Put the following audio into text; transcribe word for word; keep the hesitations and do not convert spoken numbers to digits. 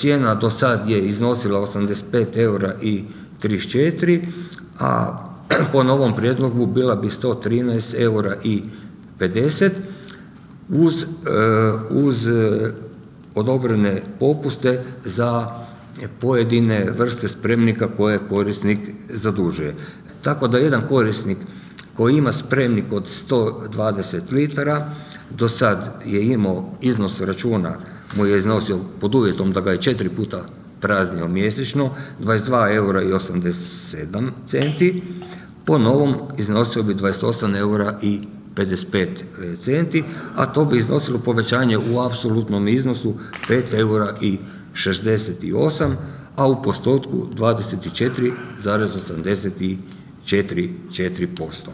cijena do sad je iznosila osamdeset pet eura i trideset četiri, a po novom prijedlogu bila bi sto trinaest eura i pedeset uz, uz odobrene popuste za pojedine vrste spremnika koje korisnik zadužuje. Tako da jedan korisnik koji ima spremnik od sto dvadeset litara, do sad je imao iznos računa, mu je iznosio pod uvjetom da ga je četiri puta praznio mjesečno, dvadeset dva eura i osamdeset sedam centi, po novom iznosio bi dvadeset osam eura i pedeset pet centi, a to bi iznosilo povećanje u apsolutnom iznosu pet eura i šezdeset osam, a u postotku dvadeset četiri zarez osamdeset četiri posto.